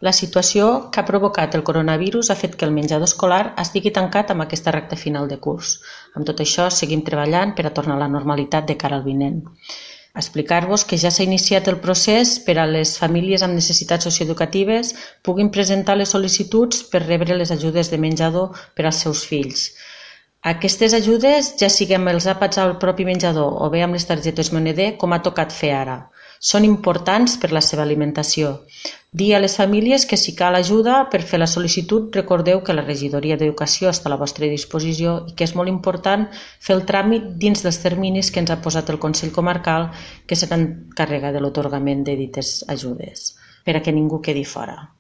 La situació que ha provocat el coronavirus ha fet que el menjador escolar estigui tancat amb aquesta recta final de curs. Amb tot això, seguim treballant per a tornar a la normalitat de cara al vinent. Explicar-vos que ja s'ha iniciat el procés per a les famílies amb necessitats socioeducatives puguin presentar les sol·licituds per rebre les ajudes de menjador per als seus fills. Aquestes ajudes, ja sigui amb els àpats al propi menjador o bé amb les targetes moneder, com ha tocat fer ara, són importants per la seva alimentació. Dir a les famílies que si cal ajuda per fer la sol·licitud, recordeu que la Regidoria d'Educació està a la vostra disposició i que és molt important fer el tràmit dins dels terminis que ens ha posat el Consell Comarcal, que se n'encarrega de l'atorgament de dites ajudes, per a que ningú quedi fora.